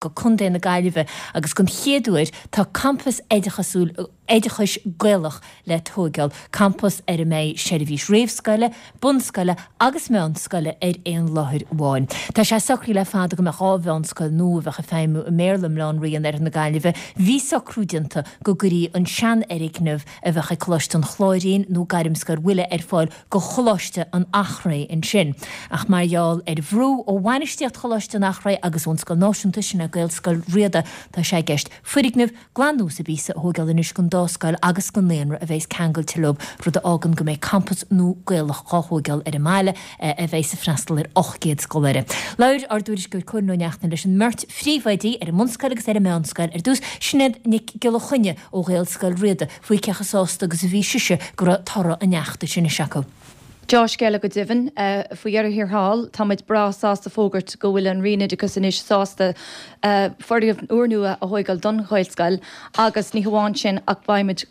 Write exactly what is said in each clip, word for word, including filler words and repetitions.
go Contae na Gaillimhe agus don chéad uair tá campas oideachasúil oideachais Gaelach le tógáil, campas ar a mbeidh seirbhís réamhscoile, bunscoile agus meánscoile ar aon láthair amháin. Tá sé socraithe le fada go mbeadh dhá mheánscoil nua a bheadh ag feidhmiú i mBéarla i mBleá an Rí in oirthear na Gaillimhe. Bhí socrú déanta go gcuirfí an seanfhoirgneamh a bheadh ag Coláiste an Chláirín nó Gairmscoil Mhuire ar fáil go Choláiste an Eachréidh ansin. Ach mar gheall ar bhrú ó bhainistíocht Choláiste an Eachréidh agus ón Scoil Náisiúnta sin Gaelscoil Riada tá sé i gceist foirgneamh glan nua sa bpíosa a thógáil anois don dá scoil agus don naíonra a bheas ceangailte leo rud a fhágann go mbeidh campas nua Gaelach á thógáil ar an mbaile a bheas ag freastal ar ocht gcéad scoláire. Labhair ár dtuairisceoir Cóilín Ó Neachtain leis an mbeirt phríomhoidí ar an mbunscoil agus ar an meánscoil ar dtús Sinéad Nic Giolla Choinne ó Ghaelscoil Riada faoi cé chomh sásta agus a bhí sise go raibh toradh an fheachtais anois acu. Dea-scéala go deimhin faoi dheireadh thiar thall, tá muid breá sásta fógairt go bhfuil an Roinn Oideachais anois sásta foirgneamh úrnua a thógáil don Ghaelscoil agus ní hamháin sin ach beimid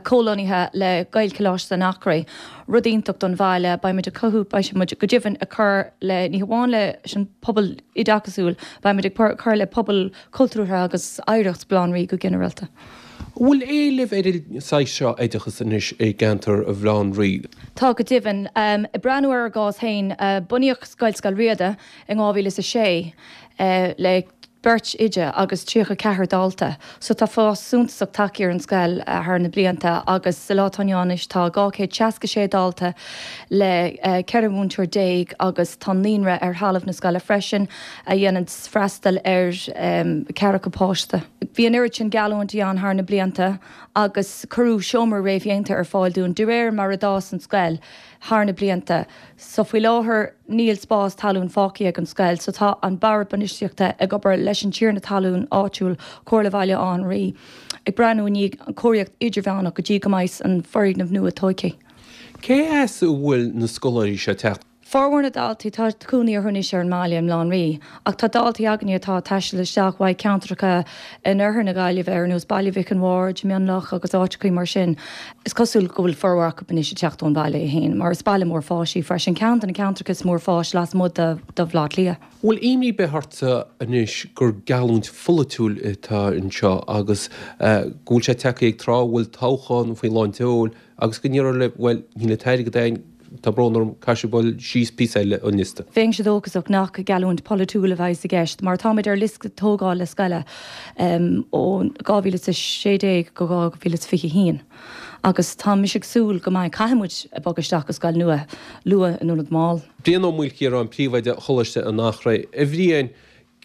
comhlonnaithe le Gaelcholáiste an Eachréidh. Rud iontach don bhaile, beimid ag cothú, beidh muid go deimhin ag cur le ní hamháin leis an pobal oideachasúil, beimid ag cur le pobal cultúrtha agus oidhreacht Bhaile Átha an Rí go ginearálta. An bhfuil éileamh ar an saghas seo oideachas anois i gceantar Bhaile Átha an Rí? Tá go deimhin. Ag breathnú ar ár gcás féin, bunaíodh Gaelscoil Riada in dhá mhíle is a sé le beirt oide agus tríocha ceathair dalta. So tá fás suntasach tagtha ar an scoil thar na blianta agus sa lá atá inniu ann anois tá dhá chéad seasca sé dalta le ceithre mhúinteoir déag agus tá naíonra ar thalamh na scoile freisin a dhéanann freastal ar ceathracha páiste. Bhí an oiread sin geallúintí ann thar na blianta agus cuireadh seomra réamhdhéanta ar fáil dúinn de réir mar a d'fhás an scoil thar na blianta. So faoi láthair níl spás talún fágtha ag an scoil so tá an Bord Bainistíochta ag obair leis an tiarna talún áitiúil, Comhairle Bhaile Átha an Rí, ag breathnú i ndiaidh an cóiríocht idirmheánach go dtí go mbeidh an foirgneamh nua tógtha. Cé as a bhfuil na scoláirí seo ag teacht? Formhór na ndaltaí, tá cónaí orthu anois ar an mbaile i mBaile Átha an Rí, ach tá daltaí againne atá ag taisteal isteach uaidh ceantracha in oirthear na Gaillimhe ar nós Baile Mhic an Bhaird, Mionlach agus áiteachaí mar sin. Is cosúil go bhfuil formhór acu anois ag teacht ón bhaile é féin, mar is baile mór fáis í freisin, ceann de na ceantracha is mó fáis lasmuigh de Bhaile Átha Cliath. Bhfuil imní ar bith ortsa anois gur geallúint pholaitiúil atá anseo agus go bhfuil sé tagtha ag tráth a bhfuil toghchán faoi lán tseoil agus go ndéarfar libh, bhuel, níl an t-airgead againn, Tá brón orm, caithfidh sibh dul síos píosa eile an liosta. Bheinnse dóchasach nach geallúint pholaitiúil a bheas i gceist, mar táimid ar liosta tógála scoile ó dhá mhíle is a sé déag go dhá mhíle is fiche a haon agus tá mise ag súil go mbeidh, caithfidh muid bogadh isteach go scoil nua luath in ionad mall. Brian Ó Maoilchiaráin, Príomhoide Choláiste an Eachréidh. A Bhriain,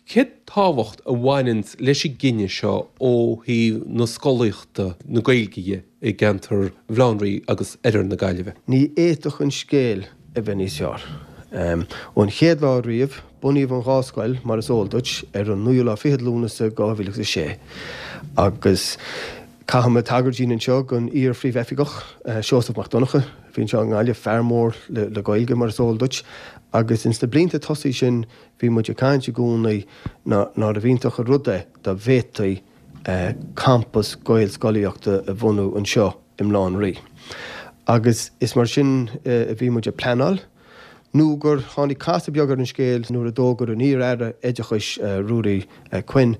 cén tábhacht a bhaineanns leis an gcinneadh seo ó thaobh na scolaíochta, na Gaeilge dhe i gceantar Bhaile Átha an Rí agus oirthear na Gaillimhe? Ní fhéadfadh an scéal a bheith níos fearr. Ón chéad lá riamh, bunaíodh an dhá scoil, mar is eol duit, ar an naoú lá fichead Lúnasa dhá mhíle agus a sé agus caithfidh mé tagairt a dhéanamh anseo don iar-phríomhoifigeach, Seosamh Mac Donncha, a bhí anseo i nGaillimh, fear mór le Gaeilge, mar is eol duit, agus ins na blianta tosaigh sin, Bhí muid ag caint i gcónaí nárbh iontach an rud é dá bhféadfaí campas Gaelscolaíochta a bhunú anseo i mBaile Átha an Rí. Agus is mar sin a bhí muid ag pleanáil nó gur tháinig casadh beag ar an scéal nuair a d'fhógair an iar-Aire Oideachais, Ruairí Quinn,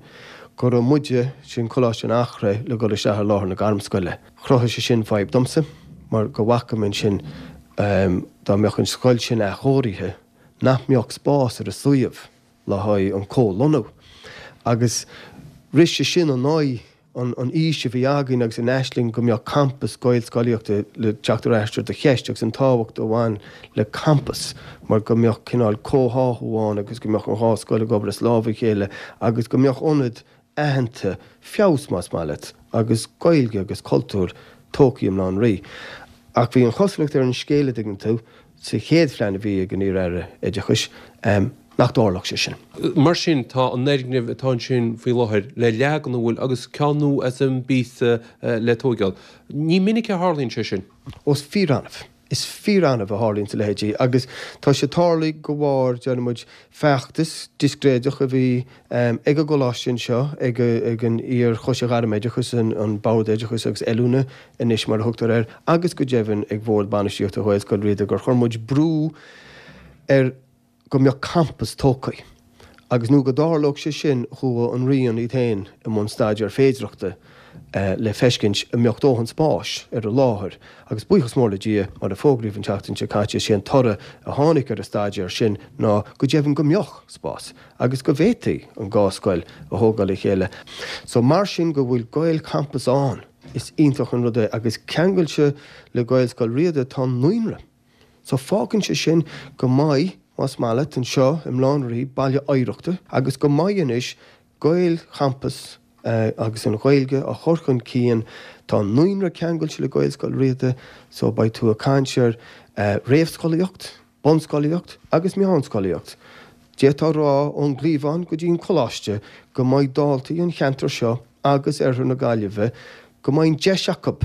go raibh muide, sin Coláiste an Eachréidh, le dhul isteach ar láthair na Gairmscoile. Chruthaigh sé sin fadhb domsa mar go bhfaca mé ansin dá mbeadh an scoil sin athchóirithe, nach mbeadh spás ar an suíomh le haghaidh an comhlonnú agus rith sé sin in aghaidh an fhís a bhí againn agus an aisling go mbeadh campas Gaelscolaíochta le teacht ar ais ar do cheist agus an tábhacht a bhain le campas mar go mbeadh cineál comhtháthú ann agus go mbeadh an dhá scoil ag obair as lámh a chéile agus go mbeadh ionad aitheanta, feabhas más maith leat, agus Gaeilge agus cultúr tógtha i mBaile Átha an Rí. Ach bhí an chosúlacht ar an scéal, a dtuigeann tú, sa chéad phlean a bhí ag an iar-Aire Oideachais, nach dtarlódh sé sin. Mar sin, tá an fhoirgneamh atá ansin faoi láthair le leagan, an bhfuil, agus ceann nua as an bpíosa le tóigeáil. Ní minic a tharlaíonn sé sin. Ó, is fíor-annamh. Is fíor-annamh a tharlaíonns a leithéidí agus tá sé tarlaithe de bharr, déarfaidh muid, feachtas discréideach a bhí ag an gcoláiste anseo, ag an iar-Choiste Ghairmoideachais, an Bord Oideachais agus Oiliúna anois mar a thugtar air, agus go deimhin ag Bhord Bainistíochta Ghaelscoil Riada gur chuir muid brú ar go mbeadh campas tógtha Agus nó go dtarlódh sé sin chuaigh an Roinn iad féin i mbun staidéar féidearthachta le feiscint an mbeadh dóthain spáis ar an láthair. Agus buíochas mór le Dia, mar a fógraíodh an tseachtain seo caite, is é an toradh a tháinig ar an staidéar sin ná go deimhin go mbeadh spás agus go bhféadfaí an dhá scoil a thógáil le chéile. So mar sin go bhfuil Gaelchampas ann, is iontach an rud é agus ceangailte le Gaelscoil Riada tá an naíonra. So fágann sé sin go mbeidh, más maith leat, anseo i mBaile Átha an Rí, baile oidhreachta agus go mbeidh anois Gaelchampas agus an Ghaeilge á chur chun cinn. Tá an naíonra ceangailte le Gaelscoil Riada so beidh tú ag caint ar réamhscolaíocht, bunscolaíocht agus meánscolaíocht. D'fhéadfá a rá ón gcliabhán go dtí an coláiste go mbeidh daltaí an cheantair seo agus oirthear na Gaillimhe go mbeidh an deis acu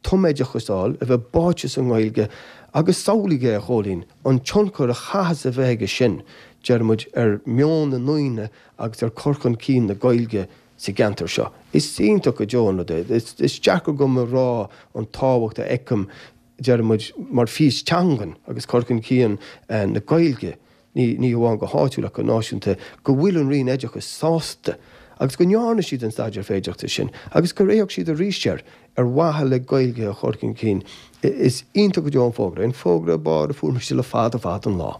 tumoideachas a fháil, a bheith báite sa nGaeilge agus samhlaigh é, a Chóilín, an tionchar a chaithfeas a bheith aige sin, deir muid, ar mheon na ndaoine agus ar cur chun cinn na Gaeilge sa gceantar seo. Is iontach go deo an rud é. Is deacair dom a rá an tábhacht a fheicim, deir muid, mar fís teangan agus cur chun cinn na Gaeilge. ní hamháin go háitiúil ach go náisiúnta, go bhfuil an Roinn Oideachais sásta agus go ndearna siad an staidéar féidearthachta sin agus gur fhéach siad arís air ar mhaithe le Gaeilge a chur chun cinn. Is iontach go deo an fógra é, an fógra ab fhearr a fuair mise le fada fada an lá.